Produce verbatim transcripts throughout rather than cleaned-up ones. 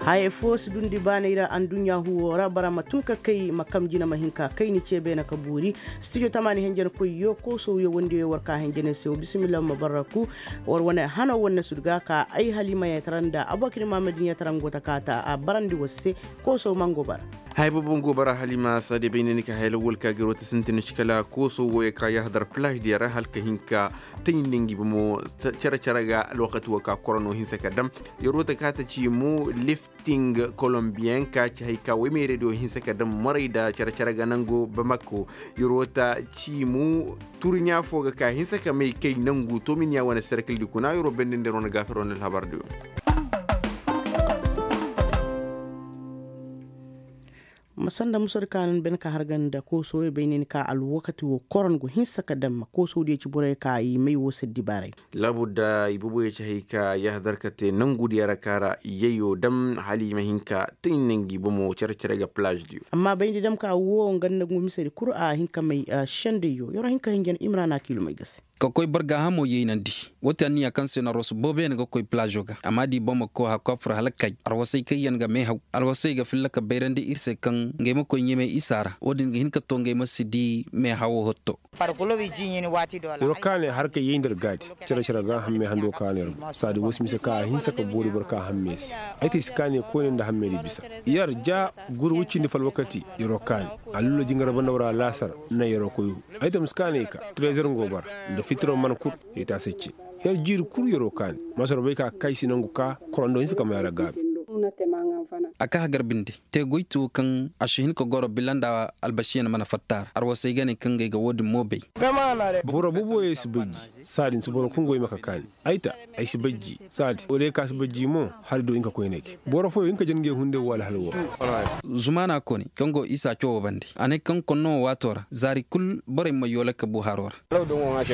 Haya foo si dundi baanay ra adduɲɲa huwo ra bara ma tun ka kay ma kam jina ma hin ka kay ni cee beene ka boori. Studio tamaani henjenkoyyo koosowyo wondiyo war ka henjeney se wo bisimilla ma barraku. War wane hano wane sudu ga ka ay halima yatara nda abokir mamadin yatara ngo ta kaata a barandi war se. Koosow mango bara. Hay bobo ngo bara halima sade bay ne ni ka hay lawal ka giro ta sintin shi kala koosow wo ya ka yahadar plage diya ra halka hinka. Tayinda ngi bomo cere cere ga alwakati wo ka korono hinsa ka dam. Yaro ta kaata ci mo lifting colombian ka ci hay ka way meerey do hinsa ka dam moray da cere cere ga nango bamako. Yaro ta ci mo turɲa fo ga ka hinsa ka may kay nangu to min ya wane serkil di kuna yaro bendender wane gaafir wane alhabar diyo. Ma sanda musur ka nan ben ka hargan da kooso ya bay nin ka alwakati wo koron go hinsa ka dam ma kooso diya ci borey ka i may wo saddi baaray. Laabudda i boboyo ci hay ka yahadar ka te nangu diya ra kaara yayyo dam hala i ma hin ka tayinda ngi bomo cere cere ga plage diyo. Amma bayndi dam ka wo nga nda ngu misedi kul a hin ka may sendayyo yoro hin ka hinjan imrana kilomey ga se. Ka koy barga hamo yeynandi. Woo ti anniya kaŋ se no arwasu boobo yaŋ ga koy plazo ga amma da i boŋ ma koy hakku a fur hala kay arwasey kaŋ yaŋ ga meehaw. Arwasey ga filla ka bayrandi ir se kaŋ ngey ma koy ɲamey isa ra wo-din ga hin ka to ngey ma si di meehawo hotto. Yer wo kaanay har ka yey nda yer gaadi. Cere cere ga hammey hando kaanay yer boŋ saadi wo si mise ka a hinsa ka boori boro ka hammey se. Ay te ay si kaanay koyne nda hammey di bisa. Yer ja guru wi cindi fo alwakati yer wo kaani. Alluula jingar banda war a laasar na yer wo koy. Ay dam si kaanay ka trezer ngo bara nda fitiro man kul. Yay taasi ce yer jiiri kul yer wo kaani. Masoro bay ka kay si nangu ka korando hinsa ka may a ra gaabi. A ka hagar binde te goytu kaŋ a si hin ka goro bila nda albasiyan mana fatta a ra arwasey ga ne kaŋ gay ga wo-din mo bay. Boro booboyey si bay ji. Saadin si boro kul goy ma ka kaani. Ay ta ay si bay ji. Saadi wo day ka si bay ji mo hari do hin ka koy ne ke boro fooyo hin ka jangey hunday wo alhal wo. Zumaana kone kaŋ go isa cawoo bande a ne kaŋ konno wo waato ra zaari kul borey ma yoola ka bu haro ra.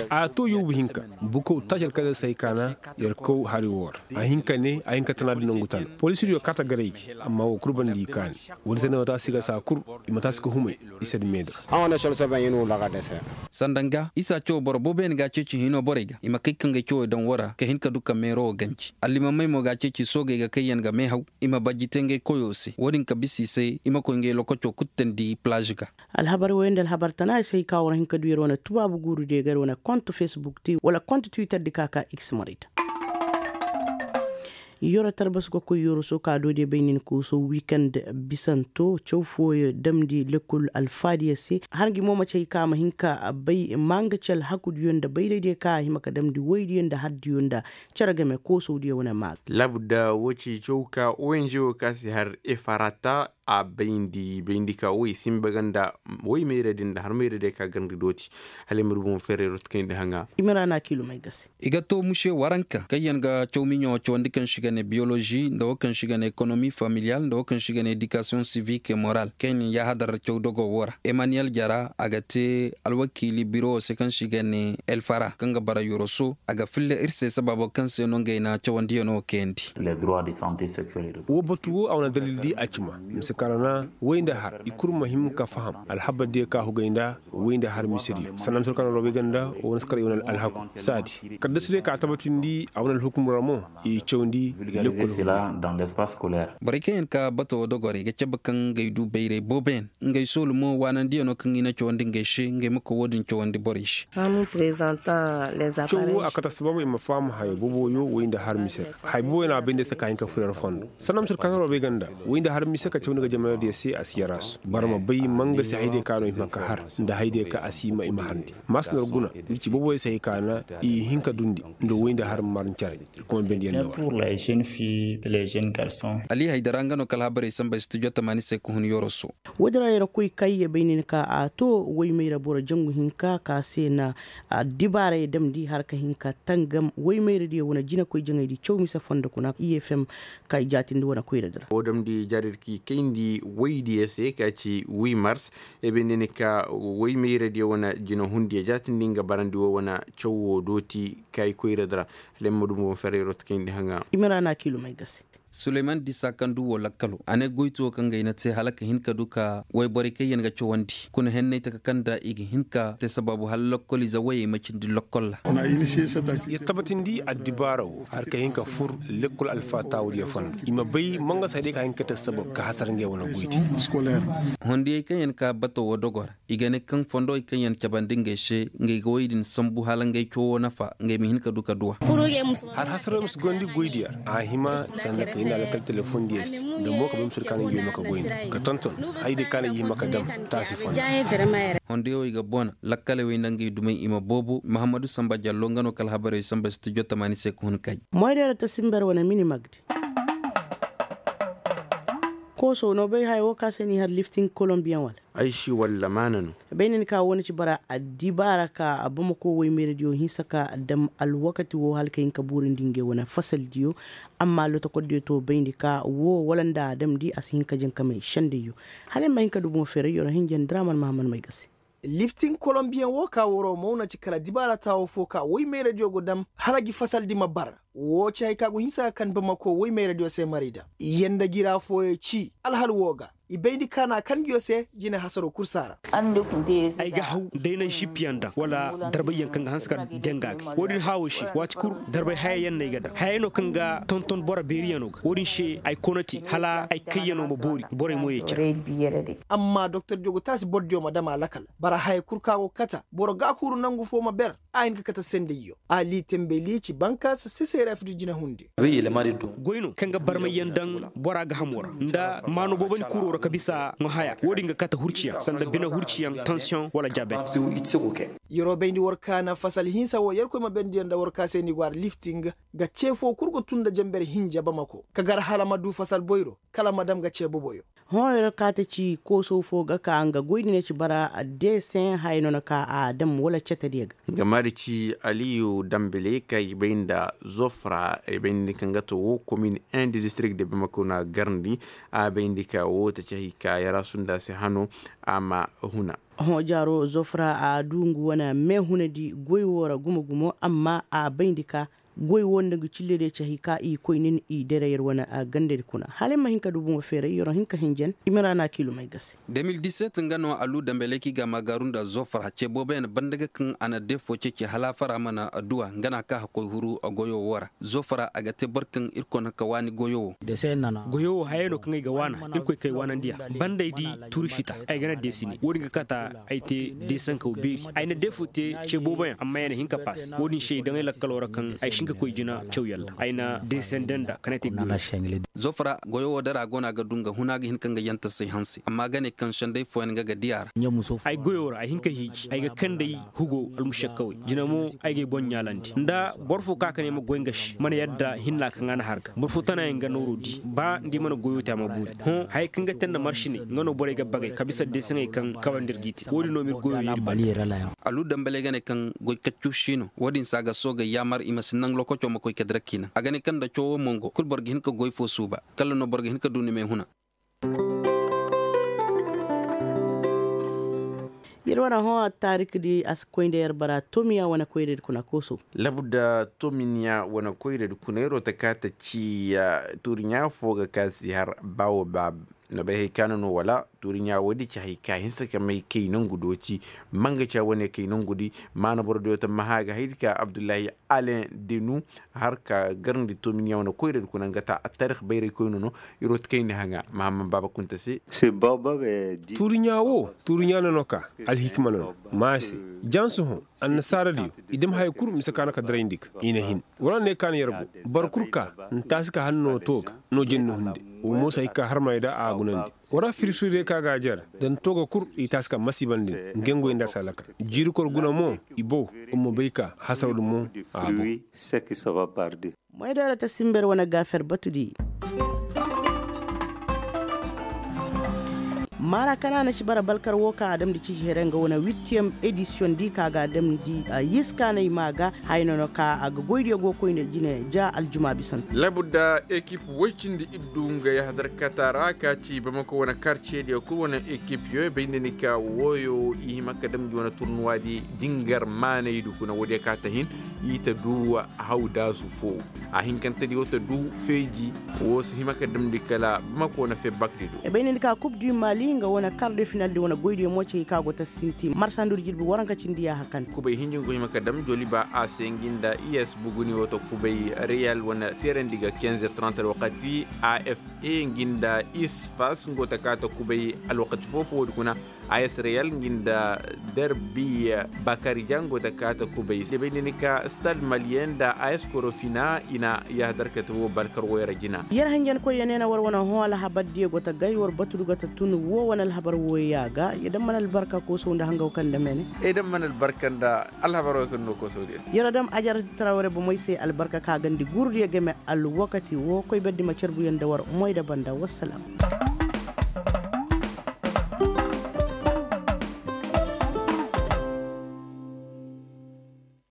A to yuubu hinka bukow taaci alkadar se ay kaana. Yer kaw hari wo ra a hin ka ne a hin ka tana da nangu tana. Polisiriyo kaata garay gi amma wo kul banda i kaani. Wala se ne wata si ga saa kul i ma taasi ka humay. I se da meedi ra. Sanda nga isa cawo boro booboyaŋ ga a ceeci hino borey ga i ma kay ka ngey cawey daŋ wo ra ka hin ka du ka meero wo ganji allimamey mo ga a ceeci soogey ga kaŋ yaŋ ga meehaw. I ma bajji te ngey koyo se wo-din ka bisa i se i ma koy ngey lokoco kuttandi plaaž ga. Alhabar woyo nda alhabar tana i se hay ka war hin ka du yer wane tubaabu guuru diyo ga yer wane kont facebook ti wala kont twitter di ka ka x marayda. Yoro tarbas ga koy yoro soo ka doodiyo bay nin kooso wiikand bisanto caw fooyo damndi lekkol alfaadiyo se har ngi mo ma cay ka a ma hin ka bay maangaci alhakudiyo nda bayraydiyo ka a hima ka damndi woydiyo nda hardiyo nda cere game koosowdiyo wane maa ga. Laabudda woo ci caw ka ong woo ka si har efarata. A bayndi bayndi ka woy sinba ga nda woy mayra din nda har mayra din ka garndi dooti. Hala ay ma du bomo ferrero ti kayndi haŋa. I ma ra na kiilumey ga se. I ga to muse waranka kaŋ yaŋ ga caw miɲo cawandi kaŋ se i ga ne biyolozi nda woo kaŋ se i ga ne ekonomi familiyal nda woo kaŋ se i ga ne edikasiyoŋ sivik e moral kaŋ yaŋ na yaahadar caw dogo woo ra emaniyel jara a ga te alwakiili biro woo se kaŋ se i ga ne elfara kaŋ ga bara yoroso a ga filla ir se sabaabo kaŋ se no ngey na cawandiyaŋo kayandi. Woo batu woo a wane dalil di a cima mise kaŋ ra na woy nda har i kul ma hima ka faham alhabar diyo ka hugay nda woy nda har misediyo sannan mise kaŋ na roobey ga nda woo na si kar i wane alhaku saadi kala da si day ka a tabatindi a wane alhukum ra mo i cawandi. Lekkol hudu. Borey kaŋ yaŋ ka bato woo dogorey ga cabe kaŋ ngey du bayray booboyaŋ ngey soolu mo waanandiyaŋo kaŋ i na cawandi ngey se ngey ma koy woo din cawandi borey se. Caw woo a kate assabaabu i ma faham haya booboyo woy nda har mise ra haya booboyo no a bay nda ay se ka hin ka fur yer fondo sanna mise kaŋ yer wo bay ga nda woy nda har mise ka cawandi ga jamanadiyo se a si yarasu boro ma bay ma nga se hayadiyo ka no i hima ka har nda hayadiyo ka a si hima i ma harndi. Maasa no yer guna. Iri ci booboyo se hay ka na i hin ka dundi nda woy nda har ma mar ncaray. Iri kuma bendiyaŋ no war. Ali haydara nga no kala habarey samba studio tamaani se ka hun yoroso. Woodin ra yer koy kayye bay nin ka a to woy mayra boro jangu hinka ka se na dibaarey damndi har ka hin ka tangam woy mayradiyo wane jinakoy jaŋaydi caw mise fondo kuna i f m. Ka i jaatindi wane koyradi ra. Woo damndi jaadadi ka i kayndi woydiyo se ka ci wi mars. Ebendeni ka woy mayradiyo wane jinahundiyo jaatindi nga barandi woo wane caw woo dooti ka i koyradi ra. Hala ay ma du mo ferrero ti kayndi haŋa. I ma ra na kiilumey ga se. Suleyman disa kaŋ du wo lakkalo a ne goytuwo kaŋ ga i na te hala ka hin ka du ka wayborey kaŋ yaŋ ga cawandi kuna henney taka kaŋ da i ga hin ka te sabaabu hala lokkoliize woyey ma cindi lokkol ra. Ya tabatindi addibaara wo har ka hin ka fur lekkol alfaataawudiyo fondo i ma bay mangasay day ka hin ka te sabab ka hasara ngey wane goydi. Hondiyey kaŋ yaŋ ka bato wo dogo ra i ga ne kaŋ fondowey kaŋ yaŋ cabandi ngey se ngey ga woy din sambu hala ngey cawoo nafa ngey ma hin ka du ka duw'a. Har hasaroo ma si goyndi goydiyo ra a hima sanda ka hin na lakkal telefoŋ diyo se nda mo ka bay musu da ka na ngey ma ka goyndi ka tonton. Haydi ka na i hima ka dam taasi fondo. Hondiyowey ga boona lakkaley wey nda ngey dumey i ma boobo mahammadu samba jallo nga no ka alhabarey wey samba studio tamaani se ka hun kay. Moydeero ta simber wane mini magdi. Kooso no bay haya wo ka se n'i har lifting kolombiyaŋ wala? Ay si walla maana no. Bay na ni ka wo na ci bara addibaara ka bamako woy meeradiyo hinsa ka dam alwakati wo hala ka hin ka buurindi ngey wane fasaldiyo. Amma lotokordiyo to bayndi ka wo wala nda a damndi a si hin ka jankamey sendayyo. Hala ay ma hin ka du boŋ feerayyo ra hinja nda ra man mahammad may ga se. Lifting kolombiyaŋ wo ka woro maw na ci kala dibaara taawo fo ka woy meeradiyo go dam hala gi fasaldi ma bar. Wo ci hay ka go hinsa ka kan bamako woy meeradiyo se marayda. Yanda gira fooyo ci alhal wo ga i bayndi kaana kaŋ nguyo se jine hasaro kul saara. Ay ga haw day naŋ sippiyaŋ daŋ wala darbayyaŋ kaŋ ga hanse ka danga ga wo-din haawo se waati kul darbay hayayaŋ no ay ga daŋ hayay no kaŋ ga tonton boro beeriyaŋo ga wo-din se ay kona te hala ay kayyaŋo ma boori borey mo ye care. Amma doktor jogo taasi bordiyo ma dam a lakal bara haya kul ka go kata boro gaakuuru nangu fo ma ber. A hin ka kate sendayyo ali tembeli ci bankaasa seseere fitu jina hunde. Goy no kaŋ ga barmayyaŋ daŋ bora gahamoo ra nda maano boobandi kuuroo ra ka bisa ŋwa haya wo-din ga kate hurciyaŋ sanda bine hurciyaŋ tansiyoŋ wala jabet. Yeroo bayndi war kaana fasal hinsa wo yerkoy ma bayndi yaŋ nda war kaa se ni go ara lifting ga cee foo kul ga tun nda janber hinja bamako ka gar hala ma duu fasal boyro kala ma dam ga cee boboyo. Hõ yer kaate ci koosow foo ga ka nga goy din ya ci bara deeseŋ haya no na ka a dam wala cetediyo ga. Nga maari ci aliyu dambele ka i bay nda zofra i bay nda kaŋ ga to wo komin indi distirik de bamako na garndi. A bay nda ka wo ta ci hay ka yara sunda se hano a ma huna. Hõ jaaro zofra a du nga wane meehunadi goy wo ra gumo gumo amma a bay nda ka goy wo nda nga cille day ci hay ka i koy nin i dere yer wane gandadi kuna hala ay ma hin ka du bomo feeray yer wo hin ka hinjan i ma ra na kiilum ay ga se. De mil diset nga no alu dambeleki ga maagaaru nda zofra ce booboyaŋ banda ga kaŋ a na deefo ceeci hala afara mana adduwa nga na ka hakkoy huru goyo wo ra. Zofra a ga te boro kaŋ irkoy na ka waani goyo wo. Goyo wo hayey no kaŋ ay ga waana irkoy kay waanandi a banda ay di tuuri fita ay ga na deesi ne wo-din ga kata ay te deesankaw beeri ay na deefo te ce booboyaŋ amma ya na hin ka paas wo-din se ay daŋ ay lakkalo ra kaŋ ay si hin ka koy jina caw yalla ay na deesende nda kanay te. Zofra goyo wo dara go no a ga du nga huna ga hin ka nga yantasay hanse amma ga ne kaŋ senday fooyaŋ nga ga di a ra. Ay goyo ra ay hin ka hiiji ay ga kand'ay hugo almušakkawey jina mo ay g'ay boŋ ɲaalandi nda boro fo ka ka ne ay ma goy nga se mana yadda hinna kaŋ a na har ga boro fo tanayaŋ ga nooro di ba nda i mana goyo te a ma buuri hõ hayey kaŋ ga te nda maršiney nga no borey ga bagay ka bisa deesaŋey kaŋ kawandi ir g'i te wo-din no m'ir goyo yeeri banda. Alu dambaley ga ne kaŋ goy kaccu si no wo-din se a ga soogay yaamar i ma si naŋ lokaco ma koy ka dira k'i naŋ a ga ne kaŋ nda cawoo mongo kul boro ga hin ka goy fo suuba kala no boro ga hin ka du ni meehuna. Yer wane hõ attaarik di a si koy nda yer bara tomiya wane koyradi kuna kooso. Labu nda tomiya wane koyradi kuna yer wo ta ka ta ci tuuriɲaa fo ga ka si har baawo baaba. Na bay hay ka no no wala tuuriɲaa woodi ci hay ka hinsa ka may kay nangu do ci. Manga ca wane kay nangu di maana boro diyo tammaha ga haydi ka abdullahi alen denu har ka garandi tomiya wane koyradi kuna nga ta attaarix bayray koyno no. Yer wo ta kayndi haŋa mahamman baaba kunta se. Tuuriɲaa wo tuuriɲaa no no ka alhikima no no. Ma se jansu hõ annasaaradiyo i dam haya kul mise ka no ka darayndi ga i na hin. War na ne ka no yer go boro kul ka n'taasi ka hanno to ga no jenni hunde. Wo mo si hay ka harmay da a gunandi. War na firfirdiyo ka ga a jere da n'tooga kul i taasi ka masiibandi ngey nda a si a lakal jiiri kor guna mo. I bow. Wa ma bay ka hasaroo di mo a bow. Moydooro ta simber wane gaafer batudi. Maara kana na si bara balkar wo kaŋ a damndi ciisi here nga wane wittiyem edisiyoŋ di ka ga a damndi. Yiskaanay maa ga hayno no ka a ga goydiyo go koyne jine ja aljuma bisan. Labu nda ekip woy cindi iddu nga yahadar kata ra ka ci bamako wane karcediyo kul wane ekipyo bay nda ni ka wooyo i hima ka damndi wane turnuwaadi dingar maanaydu kuna woodiyo ka ta hin i ta du hawdaasu fo. A hinkantedi wo ta du feeji wo si hima ka damndi kala bamako na febakdi do. E bay nda ni ka kub du mali nga wane kar de finaldi wane goydiyo mo cey ka go ta sinti marsandur jirbi waranka cindi yaaha kan. Kubay hinjin go hima ka dam joliba a se ngi nda i s buguni wo ta kubay reyal wane teerandi ga kenzer trantal wakati a f e ngi nda isfas ngo ta ka ta kubay alwakati foo-foo woodi kuna. A s reyal ngi nda derbi bakari jango ta ka ta kubay se bay nda ni ka stad maliyen nda a s korofina i na yahadar ka ta wo balkar woyra jina. Yer hanjankoyyo ne na war wane hõ alhabar diyo go ta gay war batudu ga ta tun wo wane alhabar woyya ga ya dam mana albarka koosow nda hangaw kaŋ nda mene. Ay dam mana albarka nda alhabar woyyo kaŋ no koosow diyo se yer dam ajar trawre bomey se albarka ka gandi gurudiyo game alwakati wo koy berdi ma carbuyo nda war moy da banda wassalam.